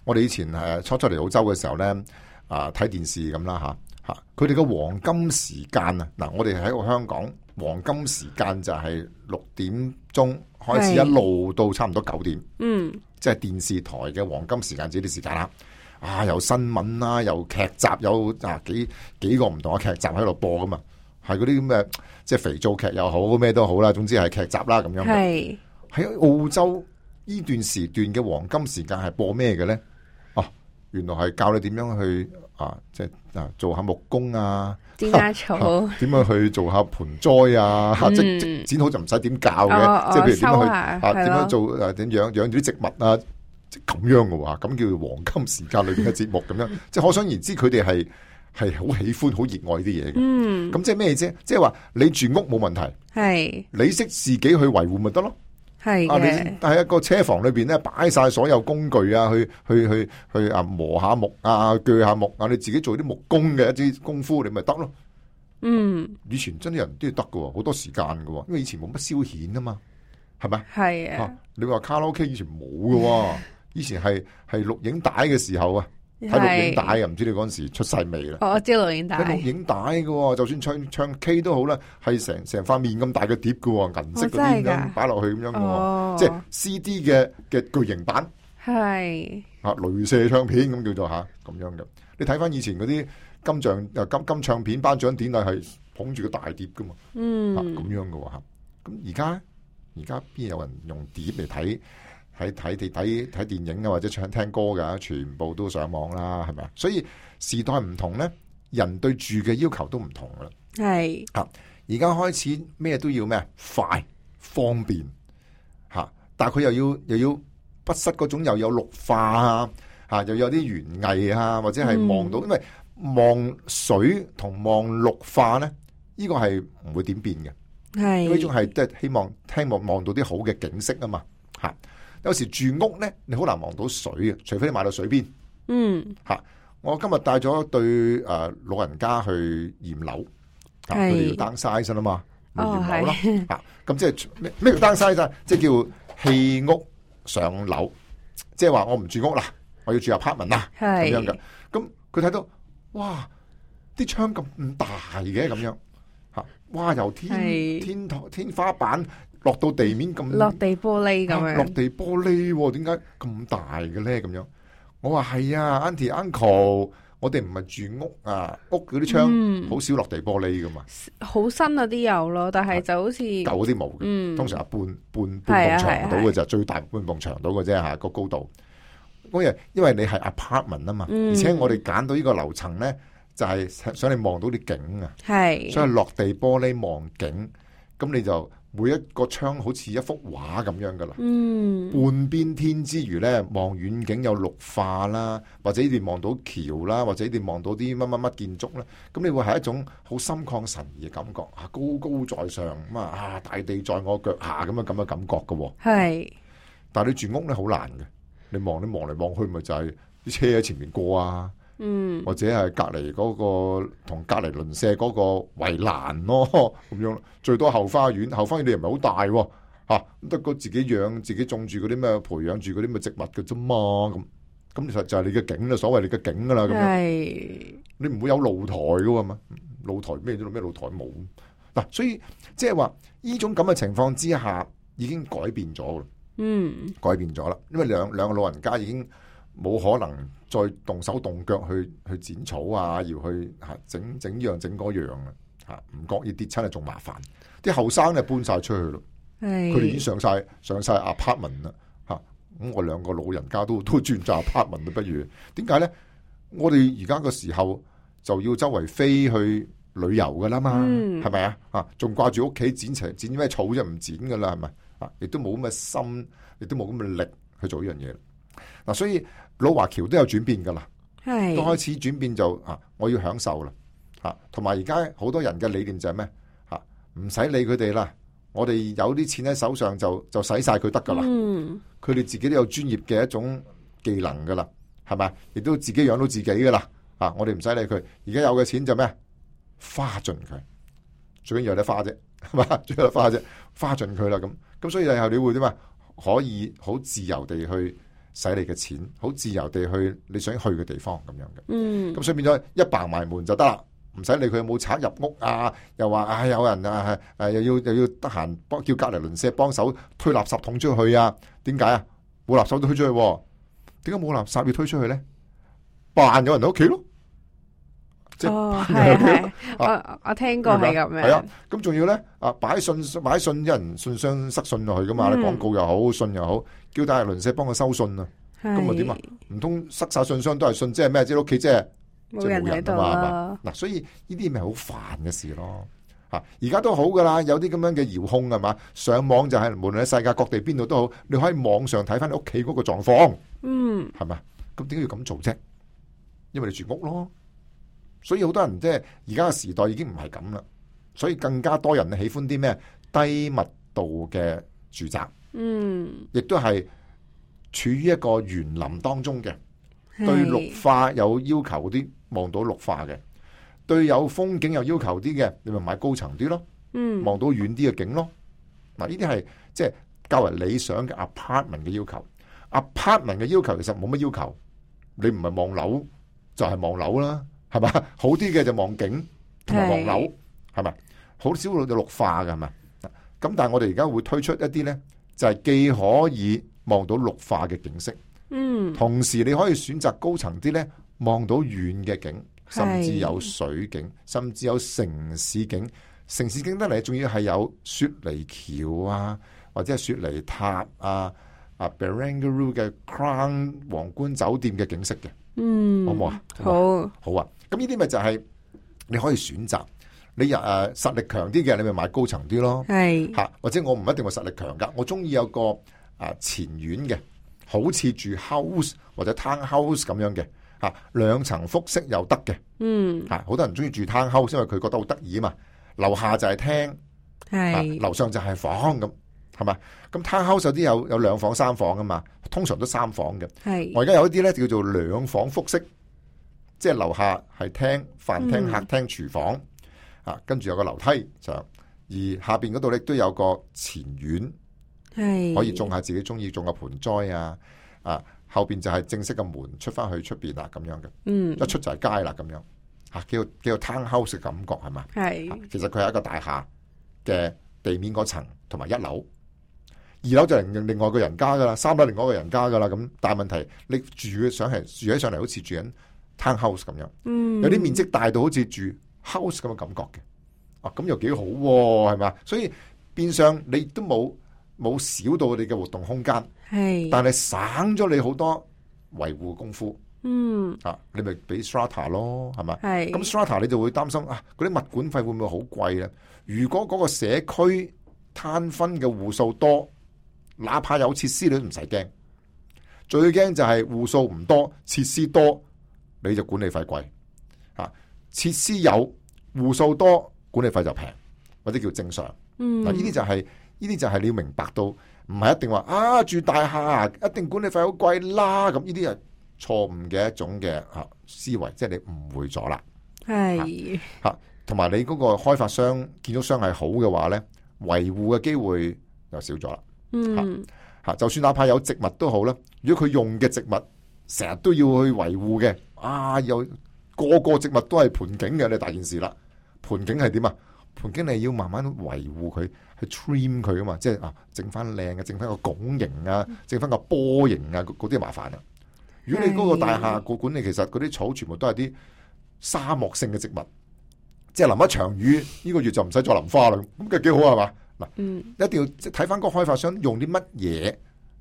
我哋以前初嚟澳洲嘅時候咧，睇電視咁啦佢哋嘅黃金時間嗱，我哋喺個香港黃金時間就係6點鐘開始，一路到差唔多9點，即係電視台嘅黃金時間，呢啲時間啦。有新聞啦，有劇集，有幾個唔同嘅劇集喺度播噶嘛，係嗰啲咁嘅即係肥皂劇又好，咩都好啦，總之係劇集啦咁樣。係喺澳洲呢段時段嘅黃金時間係播咩嘅咧？原來係教你點樣去即係做下木工剪下草，點樣去做下盆栽即剪好就唔使點教嘅，即係譬如點樣去點樣做點養住啲植物咁樣嘅話，咁叫做黃金時間裏邊嘅節目咁樣，即係可想而知佢哋係好喜歡、好熱愛啲嘢嘅。咁即係咩啫？即係話你住屋冇問題，係你識自己去維護咪得咯。係你喺一個車房裏邊咧，擺晒所有工具去磨下木鋸下木你自己做啲木工嘅一啲功夫，你咪得咯。以前真啲人都要得㗎，好多時間㗎，因為以前冇乜消遣啊嘛，係咪？係啊。你話卡拉 OK 以前冇㗎，以前係錄影帶嘅時候睇錄影帶唔知你嗰陣時出世未啦？我知錄影帶。錄影帶嘅，就算唱 K 都好啦，係成塊面咁大嘅碟嘅，銀色嗰啲咁擺落去咁樣嘅，即係 CD 嘅巨型版。係鐳射唱片咁叫做咁樣嘅。你睇翻以前嗰啲金唱片頒獎典禮係捧住個大碟噶嘛？咁樣嘅吓。咁而家邊有人用碟嚟睇電影或者聽歌噶？全部都上網啦，係咪啊？所以時代唔同咧，人對住嘅要求都唔同啦。係而家開始咩都要咩快方便但係佢又要不失嗰種又有綠化又有啲園藝或者係望到，因為望水同望綠化咧，呢個係唔會點變嘅。係呢種係即係希望望到啲好嘅景色啊嘛。有時住屋咧，你好難望到水嘅，除非你買到水邊。我今日帶咗一對老人家去驗樓，佢哋要 downsize 啊嘛，驗樓咯。咁即係咩叫 downsize？即係叫棄屋上樓。即係話我唔住屋啦，我要住 apartment 啦，咁樣嘅。咁佢睇到，哇，啲窗咁大嘅咁樣吓，哇，由天花板落到地面咁，落地玻璃咁樣，落地玻璃，點解咁大嘅咧？咁樣，我話係啊 ，Auntie Uncle，我哋唔係住屋啊，屋嗰啲窗好少落地玻璃噶嘛，好新嗰啲有咯，但係就好似舊嗰啲冇嘅，通常係半埲牆到嘅就最大半埲牆到嘅啫吓，個高度。因為你係 apartment 啊嘛，而且我哋揀到呢個樓層咧，就係想你望到啲景啊，所以落地玻璃望景，咁你就每一個窗好似一幅畫咁樣噶啦，半邊天之餘咧，望遠景有綠化啦，或者你望到橋啦，或者你望到啲乜乜乜建築啦，咁你會係一種好心曠神怡嘅感覺啊，高高在上咁啊，大地在我腳下咁嘅感覺噶，係，但係你住屋咧好難嘅。你望嚟望去，咪就係啲車喺前面過啊，或者係隔籬嗰個同隔籬鄰舍嗰個圍欄咯，咁樣最多後花園你又唔係好大喎，吓得個自己養自己種住嗰啲咩，培養住嗰啲咩植物嘅啫嘛，咁其實就係你嘅景啦，所謂你嘅景噶啦，咁樣你唔會有露台噶嘛，露台咩露台冇嗱，所以即係話呢種咁嘅情況之下，已經改變咗啦。改變咗啦，因為兩個老人家已經冇可能再動手動腳去剪草啊，要去整呢樣整嗰樣啊，唔覺意跌親啊，仲麻煩。啲後生咧搬晒出去咯，佢哋已經上晒 apartment 啦，咁我兩個老人家都轉咗 apartment 啦，不如點解咧？我哋而家個時候就要周圍飛去旅遊噶啦嘛，係咪啊？仲掛住屋企剪咩草啫，唔剪噶啦，係咪？亦都冇咁嘅心，亦都冇咁嘅力去做呢樣嘢。嗱，所以老華僑都有轉變噶啦，都開始轉變就我要享受啦，同埋而家好多人嘅理念就係咩？唔使理佢哋啦，我哋有啲錢喺手上就使晒佢得噶啦。佢哋自己都有專業嘅一種技能噶啦，係咪？亦都自己養到自己噶啦。我哋唔使理佢，而家有嘅錢就咩？花盡佢，最緊要有得花啫，係嘛？最緊要花啫，花盡佢啦咁所以以後你會點啊？可以好自由地去使你嘅錢，好自由地去你想去嘅地方咁樣嘅。咁所以變咗一閂埋門就得啦，唔使理佢有冇賊入屋啊，又話有人又要得閒叫隔籬鄰舍幫手推垃圾桶出去啊？點解啊？冇垃圾都推出去，點解冇垃圾要推出去咧？扮有人喺屋企咯。係我聽過係咁樣。係啊，咁仲要咧擺信，一人信箱塞信落去噶嘛？你廣告又好，信又好，叫大鄰舍幫佢收信啊。咁咪點啊？唔通塞晒信箱都係信，即係咩？即係屋企即係冇人喺度啊嘛？嗱，所以呢啲咪好煩嘅事咯。而家都好噶啦，有啲咁樣嘅遙控係嘛？上網就係無論喺世界各地邊度都好，你可以網上睇翻你屋企嗰個狀況。係咪？咁點解要咁做啫？因為你住屋咯。所以好多人即係而家嘅時代已經唔係咁啦，所以更加多人喜歡啲咩低密度嘅住宅，亦都係處於一個園林當中嘅，對綠化有要求啲，望到綠化嘅，對有風景有要求啲嘅，你咪買高層啲咯，望到遠啲嘅景咯。嗱，呢啲係即係較為理想嘅 apartment 嘅要求。apartment 嘅要求其實冇乜要求，你唔係望樓就係望樓啦。係嘛，好啲嘅就望景同埋望樓，係咪？好少會綠化嘅，係咪？咁但係我哋而家會推出一啲咧，就係既可以望到綠化嘅景色，同時你可以選擇高層啲咧，望到遠嘅景，甚至有水景，甚至有城市景。城市景得嚟，仲要係有雪梨橋啊，或者係雪梨塔啊，Barangaroo 嘅 Crown 皇冠酒店嘅景色嘅。好唔好啊？好啊！咁呢啲咪就係你可以選擇，你實力強啲嘅，你咪買高層啲咯。係吓，或者我唔一定話實力強噶，我中意有個前院嘅，好似住 house 或者 town house 咁樣嘅吓，2層複式又得嘅。吓，好多人中意住 town house，因為佢覺得好得意啊嘛。樓下就係廳，係樓上就係房咁。係嘛？咁 townhouse 有啲有2房3房噶嘛，通常都3房嘅。係我而家有一啲咧叫做2房複式，即係樓下係廳、飯廳、客廳、廚房跟住有個樓梯上，而下邊嗰度咧都有個前院，係可以種下自己中意種嘅盆栽後邊就係正式嘅門出翻去出邊啦，咁樣嘅。一出就係街啦，咁樣吓，叫做 townhouse 嘅感覺係嘛？係。其實佢係一個大廈嘅地面嗰層同埋1樓，2樓就另外個人家噶啦，3樓另外一個人家噶啦。咁但係問題你住嘅想係住起上嚟好似住緊 townhouse 咁樣，有啲面積大到好似住 house 咁嘅感覺嘅。咁又幾好喎，係嘛？所以變相你都冇少到你嘅活動空間，係，但係省咗你好多維護功夫。你咪俾 strata 咯，係嘛？係。咁 strata 你就會擔心啊，嗰啲物管費會唔會好貴咧？如果嗰個社區攤分嘅戶數多，哪怕有設施你都唔使驚。最驚就係戶數唔多，設施多，你就管理費貴。設施有，戶數多，管理費就平，或者叫正常。呢啲就係你要明白到，唔係一定話住大廈一定管理費好貴啦。咁呢啲係錯誤嘅一種嘅思維，即係你誤會咗啦。係同埋你嗰個開發商、建築商係好嘅話咧，維護嘅機會又少咗啦。就算哪怕有植物都好啦，如果佢用嘅植物成日都要去維護嘅，有個植物都係盆景嘅，你大件事啦。盆景係點啊？盆景你要慢慢維護佢，去 trim 佢啊嘛，即係整翻靚嘅，整翻個拱形啊，整翻個波形啊，嗰啲麻煩啊。如果你嗰個大廈個管理，其實嗰啲草全部都係啲沙漠性嘅植物，即係淋一場雨，呢個月就唔使再淋花啦，咁嘅幾好係嘛？嗱，一定要睇翻個開發商用啲乜嘢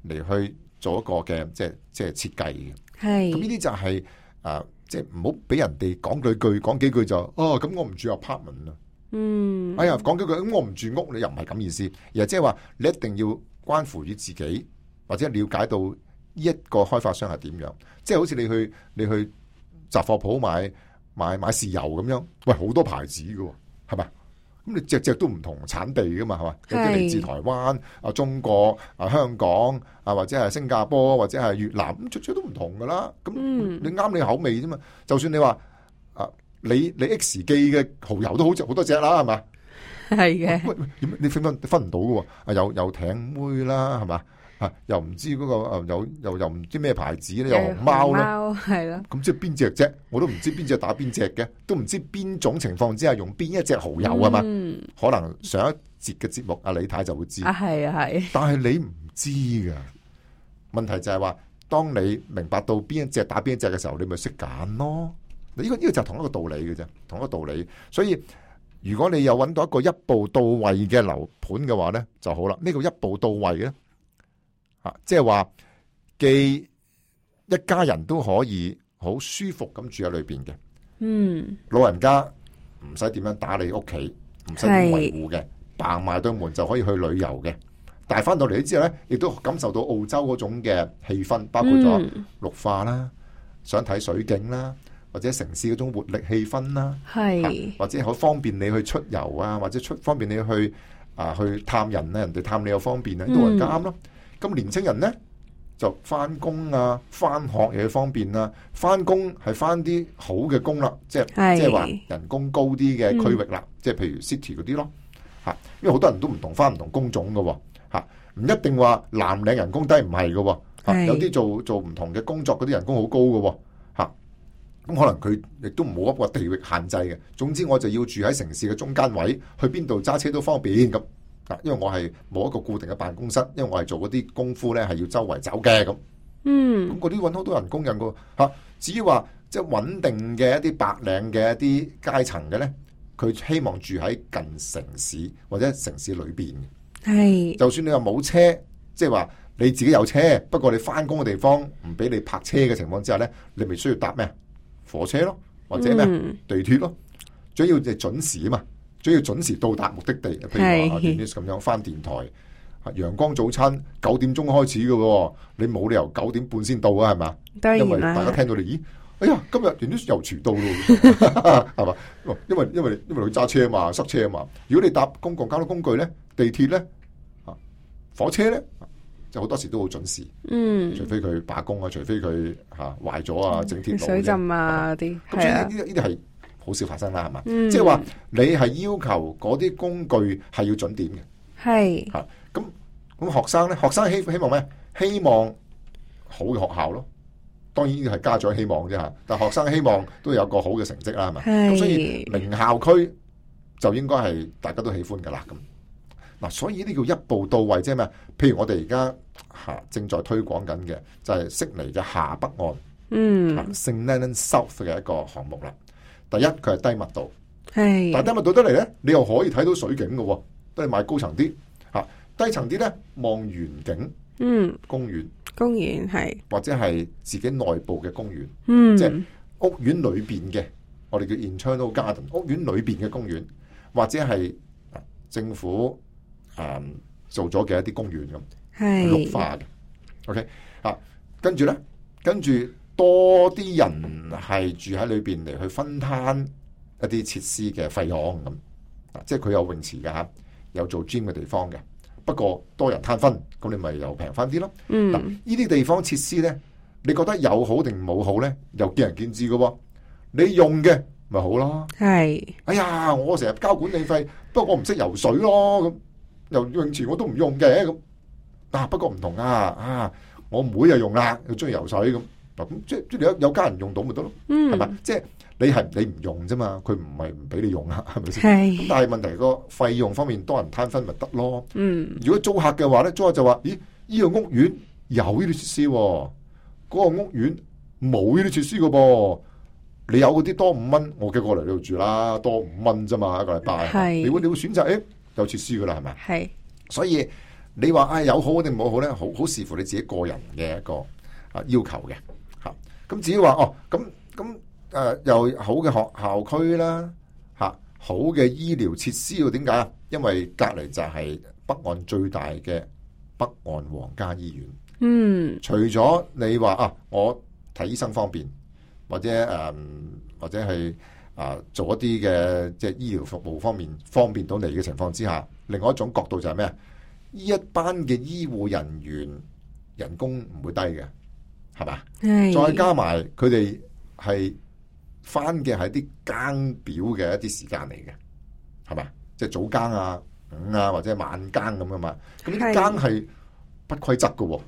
嚟去做一個嘅即係設計嘅。係咁呢啲就係即係唔好俾人哋講幾句就咁我唔住 apartment 啦。哎呀講幾句咁我唔住屋，你又唔係咁意思，而係即係話你一定要關乎於自己，或者了解到呢一個開發商係點樣。即係好似你去雜貨鋪買豉油咁樣，喂好多牌子㗎喎，係咪？咁你隻都唔同產地噶嘛，係嘛？有啲嚟自台灣、中國、香港或者係新加坡或者係越南，咁出都唔同噶啦。咁你啱你口味啫嘛。就算你話你 X 記嘅蠔油都好多隻啦，係嘛？係嘅。喂，你分唔到嘅喎？有艇妹啦，係嘛？又唔知嗰個又唔知咩牌子咧，有熊貓啦，係咯。咁即係邊隻啫？我都唔知邊隻打邊隻嘅，都唔知邊種情況之下用邊一隻蠔油係嘛？可能上一節嘅節目阿李太就會知。係啊係。但係你唔知噶，問題就係話，當你明白到邊一隻打邊一隻嘅時候，你咪識揀咯。呢個就係同一個道理嘅啫，同一個道理。所以如果你有揾到一個一步到位嘅樓盤嘅話咧，就好啦。呢個一步到位咧。即係話，既一家人都可以好舒服咁住喺裏邊嘅，老人家唔使點樣打理屋企，唔使點維護嘅，嘭埋對門就可以去旅遊嘅。但係翻到嚟之後咧，亦都感受到澳洲嗰種嘅氣氛，包括咗綠化啦，想睇水景啦，或者城市嗰種活力氣氛啦，或者好方便你去出遊啊，或者方便你去去探人咧，人哋探你又方便啊，都係啱咯。咁年青人咧就翻工啊，翻學又方便啊，翻工係翻啲好嘅工啦，即係話人工高啲嘅區域啦，即係譬如 city 嗰啲咯，因為好多人都唔同翻唔同工種噶，唔一定話藍領人工低唔係噶，有啲做唔同嘅工作嗰啲人工好高噶，咁可能佢亦都冇一個地域限制嘅，總之我就要住喺城市嘅中間位，去邊度揸車都方便咁。因為我係冇一個固定嘅辦公室，因為我係做嗰啲功夫咧，係要周圍走嘅咁。咁嗰啲搵好多人工人噶吓。至於話即係穩定嘅一啲白領嘅一啲階層嘅咧，佢希望住喺近城市或者城市裏邊嘅。係，就算你話冇車，即係話你自己有車，不過你翻工嘅地方唔俾你泊車嘅情況之下咧，你咪需要搭咩火車咯，或者咩地鐵咯，最要就準時啊嘛。需要準時到達目的地，譬如話電視咁樣翻電台，陽光早餐9點鐘開始嘅，你冇理由9點半先到啊，係嘛？因為大家聽到你，咦，哎呀，今日電視又遲到咯，係嘛？因為佢揸車啊嘛，塞車啊嘛。如果你搭公共交通工具咧，地鐵咧，火車咧，就好多時都好準時。除非佢罷工啊，除非佢壞咗啊，整鐵路水浸啊啲。咁所以呢啲係好少發生啦，係嘛？即係話你係要求嗰啲工具係要準點嘅，係咁學生咧，學生希望咩？希望好嘅學校咯。當然呢個係家長希望啫嚇，但學生希望都有個好嘅成績啦，係咪？咁所以名校區就應該係大家都喜歡㗎啦。咁嗱，所以呢叫一步到位，即係咩？譬如我哋而家正在推廣緊嘅就係悉尼嘅下北岸，St Leonards South 嘅一個項目啦。第一，佢係低密度，但係低密度得嚟咧，你又可以睇到水景嘅喎，都係買高層啲嚇，低層啲咧望園景，公園係或者係自己內部嘅公園，即係屋苑裏邊嘅，我哋叫 internal garden， 屋苑裏邊嘅公園，或者係政府做咗嘅一啲公園咁，綠化嘅。OK 跟住多啲人係住喺裏邊嚟去分攤一啲設施嘅費用咁，即係佢有泳池嘅嚇，有做 gym 嘅地方嘅。不過多人攤分，咁你咪又平翻啲咯。嗱，呢啲地方設施咧，你覺得有好定冇好咧？又見仁見智嘅喎。你用嘅咪好咯。哎呀，我成日交管理費，不過我唔識游水咯，咁游泳池我都唔用嘅咁。不過唔同我妹又用啦，佢中意游水咁。咁即係有家人用到咪得咯？係咪？即係你唔用啫嘛，佢唔係唔俾你用啊，係咪先？咁但係問題個費用方面多人攤分咪得咯？如果租客嘅話咧，租客就話：咦，呢個屋苑有呢啲設施，嗰個屋苑冇呢啲設施嘅噃。你有嗰啲多5蚊，我嘅過嚟呢度住啦，多5蚊啫嘛，一個禮拜。你會選擇有設施噶啦，係咪？係。所以你話有好定冇好咧，好視乎你自己個人嘅一個要求嘅。咁至於話又好嘅學校區啦，好嘅醫療設施要點解啊？因為隔離就係北岸最大嘅北岸皇家醫院。除咗你話我睇醫生方便，或者係做一啲嘅即係醫療服務方面方便到你嘅情況之下，另外一種角度就係咩啊？呢一班嘅醫護人員人工唔會低嘅。係嘛？再加埋佢哋係翻嘅係啲更表嘅一啲時間嚟嘅，係嘛？即係早更午或者晚更咁啊嘛。咁呢啲更係不規則嘅。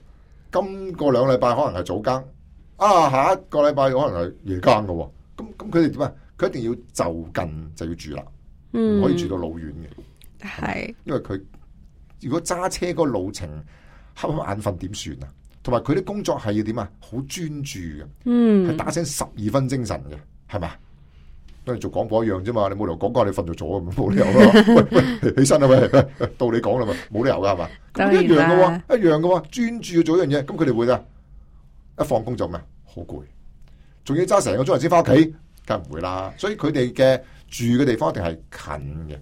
今個2禮拜可能係早更，下一個禮拜可能係夜更嘅。咁佢哋點啊？佢一定要就近就要住啦，唔可以住到老遠嘅。係，因為佢如果揸車個路程瞌眼瞓點算啊？同埋佢啲工作係要點啊？好專注嘅，係打醒12分精神嘅，係嘛？跟住做廣播一樣啫嘛，你冇理由講講你瞓咗咗，冇理由咯。喂，起身啦，喂，到你講啦嘛，冇理由噶係嘛？咁一樣嘅喎，一樣嘅喎，專注做一樣嘢，咁佢哋會啊，一放工就咩？好攰，仲要揸成個鐘頭先翻屋企，梗係唔會啦。所以佢哋嘅住嘅地方一定係近嘅，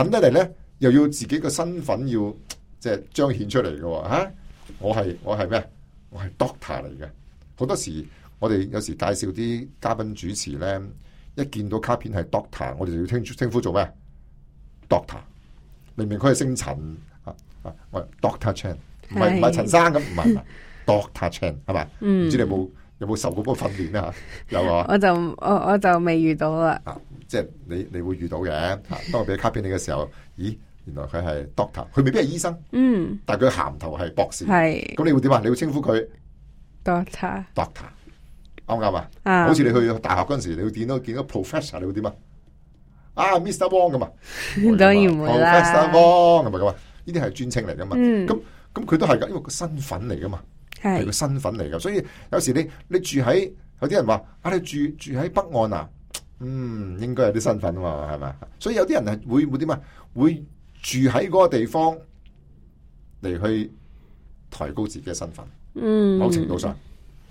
近得嚟咧，又要自己嘅身份要即係彰顯出嚟嘅喎，嚇。我係咩？我係 doctor 嚟嘅。好多時我哋有時介紹啲嘉賓主持咧，一見到卡片係 doctor， 我哋就要稱呼做咩 ？doctor。明明佢係姓陳我係 Doctor Chan， 唔係陳生咁，唔係 Doctor Chan 係咪？唔知你有冇受過嗰個訓練啊？有啊。我就未遇到啦。即係你會遇到嘅。當我俾卡片你嘅時候，咦？原來佢係 doctor， 佢未必係醫生，但係佢銜頭係博士，咁你會點啊？你會稱呼佢 doctor， 啱唔啱啊？好似你去大學嗰陣時，你會見到 professor， 你會點啊？Mr. Wong 咁啊？當然唔會啦 ，Professor Wong 係咪咁啊？呢啲係專稱嚟噶嘛？咁佢都係噶，因為個身份嚟噶嘛，係個身份嚟噶。所以有時你住喺，有啲人話你住喺北岸啊，應該有啲身份啊嘛，係咪？所以有啲人係會點啊？會住喺嗰個地方嚟去抬高自己嘅身份，某程度上，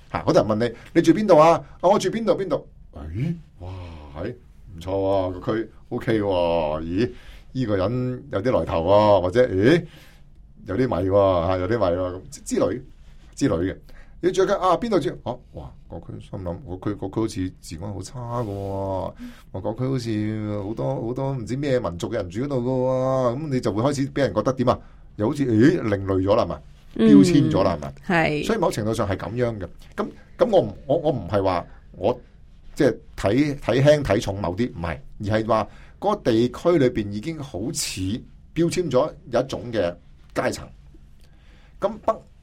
好多人問你住邊度啊？我住邊度？哇，唔錯啊，個區 OK 喎，咦，呢個人有啲來頭喎，或者有啲米喎，有啲米喎，咁之類嘅。你住喺邊度住？哇，個區心諗，個區好似治安好差噶，個區好似好多唔知咩民族嘅人住嗰度噶，咁你就會開始俾人覺得點啊？又好似另類咗啦，係嘛？標籤咗啦，係嘛？係。所以某程度上係咁樣嘅。咁我唔係話我即係睇輕睇重某啲，唔係，而係話嗰個地區裏邊已經好似標籤咗有一種嘅階層。咁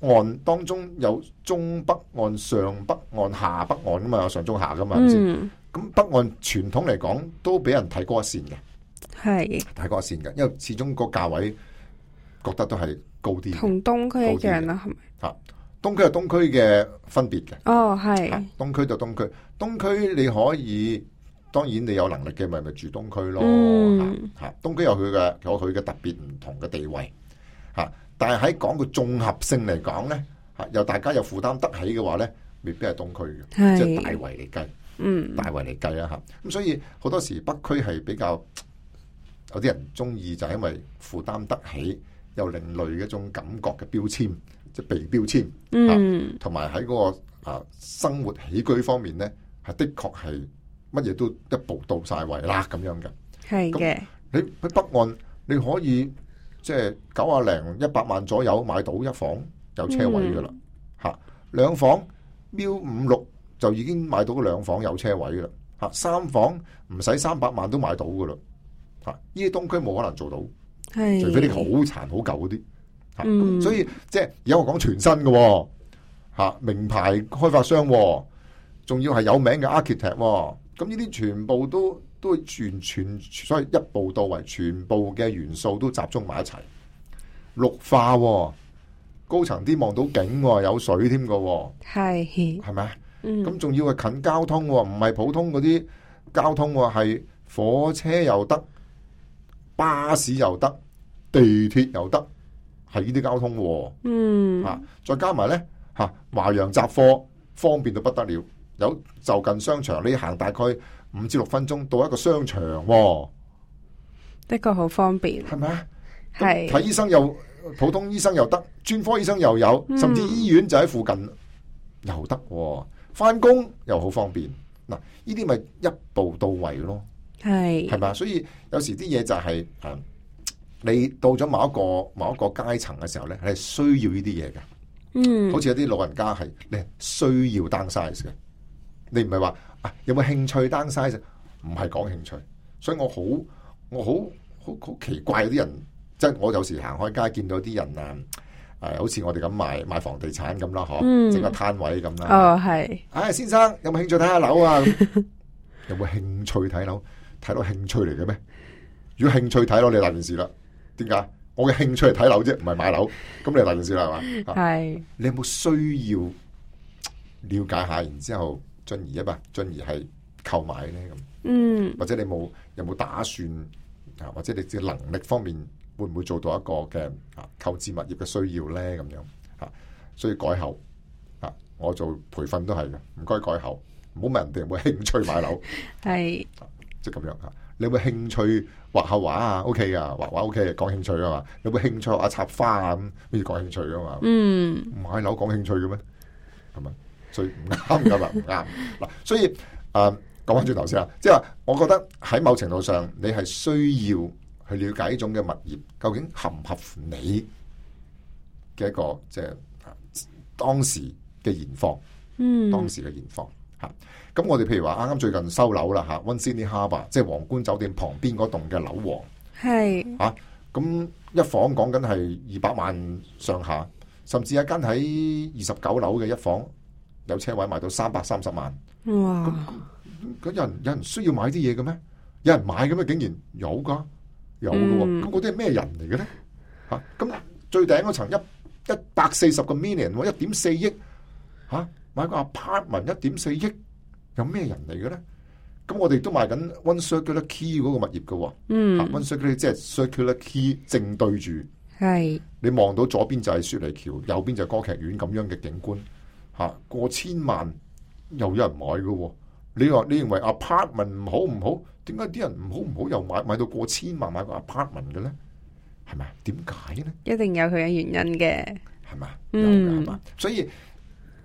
岸當中有中北岸、上北岸、下北岸噶嘛，有上中下噶嘛，係咪先？咁北岸傳統嚟講都俾人睇高一線嘅，係睇高一線嘅，因為始終個價位覺得都係高啲，同東區一樣啦，係咪？嚇，東區有東區嘅分別嘅。哦，係東區就東區，東區你可以，當然你有能力嘅咪住東區咯。嚇，東區有佢嘅特別唔同嘅地位嚇，但係喺講個綜合性嚟講咧嚇，又大家又負擔得起嘅話咧，未必係東區嘅，即係大圍嚟計。大圍嚟計啦嚇，咁所以好多時北區係比較有啲人中意，就係因為負擔得起有另類嘅一種感覺嘅標籤，即係被標籤，同埋喺嗰個生活起居方面咧，係的確係乜嘢都一步到晒位啦咁樣嘅。係嘅，你喺北岸你可以即係90零100萬左右買到一房有車位噶啦嚇，兩房標5、6。就已經買到兩房有車位啦，嚇三房唔使300萬都買到噶啦，嚇呢啲東區冇可能做到，除非啲好殘好舊嗰啲，嚇所以即係而家我講全新嘅，嚇名牌開發商，仲要係有名嘅 architect，咁呢啲全部都全所謂一步到位，全部嘅元素都集中埋一齊，綠化，高層啲望到景，有水添嘅，係咪？咁仲要係近交通，唔係普通嗰啲交通，係火車又得，巴士又得，地鐵又得，係呢啲交通。再加埋咧華洋雜貨方便到不得了，有就近商場，你行大概5至6分鐘到一個商場，的確好方便，係咪啊？係睇醫生又普通醫生又得，專科醫生又有，甚至醫院就喺附近又得。翻工又好方便，嗱，呢啲咪一步到位咯，係咪？所以有時啲嘢就係你到咗某一個階層嘅時候咧，係需要呢啲嘢嘅。好似有啲老人家係你需要 downsize 嘅，你唔係話有冇興趣 downsize，唔係講興趣。所以我好奇怪有啲人，即係我有時行開街見到啲人好似我哋咁賣房地產咁啦，整個攤位咁啦。係。先生有冇興趣睇下樓啊？有冇興趣睇樓？睇樓興趣嚟嘅咩？如果興趣睇樓，你大件事啦。點解？我嘅興趣係睇樓啫，唔係買樓。咁你大件事啦，係嘛？係。你有冇需要了解下，然之後進而係購買咧咁？或者你有冇打算或者你嘅能力方面？會唔會做到一個嘅購置物業嘅需要咧？咁樣所以改後我做培訓都係嘅，唔該改後，唔好問人哋有冇興趣買樓，係即係咁樣你有冇興趣畫下畫啊 ？OK 噶，畫畫 OK， 講興趣噶嘛？有冇興趣學下插花啊？咁咩講興趣噶嘛？買樓講興趣嘅咩？係咪？所以唔啱噶嘛？唔啱嗱。所以講翻轉頭先即係話，我覺得喺某程度上，你係需要去了解呢種嘅物業究竟合唔合乎你嘅一個即係當時嘅現況，當時嘅現況嚇。咁我哋譬如話啱啱最近收樓啦嚇，One Sydney Harbour 即係皇冠酒店旁邊嗰棟嘅樓王係嚇，咁一房講緊係200萬上下，甚至一間喺29樓嘅一房有車位賣到330萬。哇！咁有人需要買啲嘢嘅咩？有人買嘅咩？竟然有㗎。有嘅喎，咁嗰啲係咩人嚟嘅咧？咁最頂嗰層140個 million 喎，1.4億買個 apartment 1.4億，有咩人嚟嘅咧？咁我哋都賣緊 One Circular Quay 嗰個物業嘅喎，One Circular 即係 Circular Quay 正對住，係你望到左邊就係雪梨橋，右邊就係歌劇院咁樣嘅景觀，過千萬又有人買嘅喎。你認為 apartment 唔好？點解啲人唔好又買到過千萬買個 apartment 嘅咧？係咪？點解咧？一定有佢嘅原因嘅，係嘛？係嘛？所以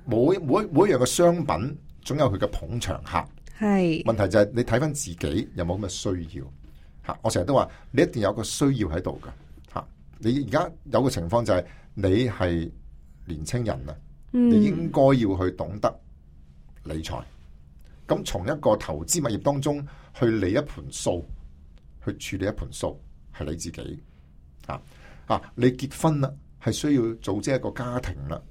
每一樣嘅商品總有佢嘅捧場客。係問題就係你睇翻自己有冇咁嘅需要嚇。我成日都話你一定有個需要喺度㗎嚇。你而家有個情況就係你係年青人啊，你應該要去懂得理財。咁從一個投資物業當中去理一盤數，去處理一盤數，係你自己你結婚啦係需要組織一個家庭啦。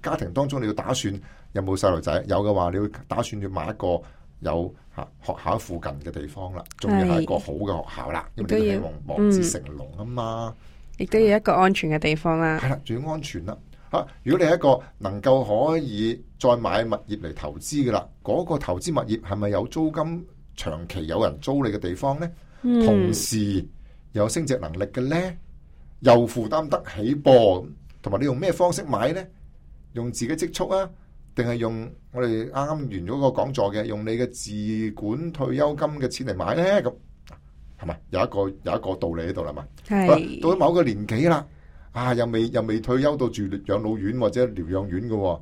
家庭當中你要打算有冇細路仔，有嘅話你要打算要買一個有學校附近嘅地方啦，仲要係一個好嘅學校啦，因為你都希望望子成龍啊嘛，亦都要一個安全嘅地方啦。係啦，仲要安全啦。如果你係一個能夠可以再買物業嚟投資嘅啦，嗰個投資物業係咪有租金長期有人租你嘅地方呢？同時有升值能力嘅呢？又負擔得起噃，同埋你用咩方式買呢？用自己積蓄啊，定係用我哋啱啱完咗個講座嘅，用你嘅自管退休金嘅錢嚟買呢？咁係咪有一個道理喺度啦嘛？係到咗某個年紀啦，又未退休到住養老院或者療養院嘅，我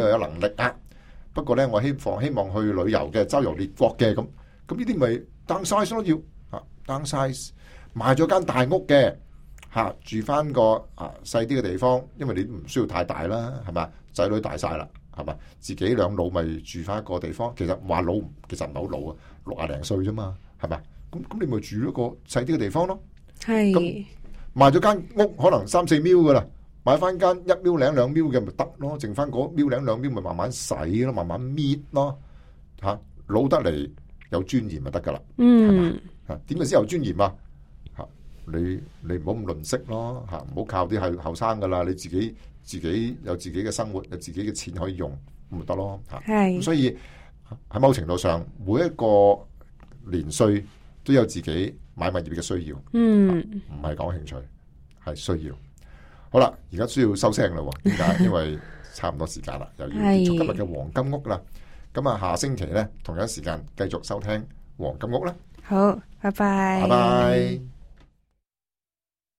又有能力啊。不過呢，我希望去旅遊嘅，周遊列國嘅咁呢啲咪 downsize 咯，要downsize 買咗間大屋嘅。住翻個細啲嘅地方，因為你唔需要太大啦，係咪？仔女大晒啦，係咪？自己兩老咪住翻一個地方。其實話老，其實唔係好老啊，60零歲啫嘛，係咪？咁你咪住一個細啲嘅地方咯。係。咁賣咗間屋可能3-4秒噶啦，買翻間1秒零2秒嘅咪得咯，剩翻嗰1秒零2秒咪慢慢洗咯，慢慢搣咯。老得嚟有尊嚴咪得噶啦。係咪？點解先有尊嚴啊？你唔好咁吝嗇咯，唔好靠啲係後生噶啦，你自己有自己嘅生活，有自己嘅錢可以用，咁咪得咯。咁所以喺某程度上，每一個年歲都有自己買物業嘅需要。唔係講興趣，係需要。好啦，而家需要收聲啦。點解？因為差唔多時間啦，又要結束今日嘅黃金屋啦。咁下星期呢，同樣時間繼續收聽黃金屋啦。好，拜拜。拜拜。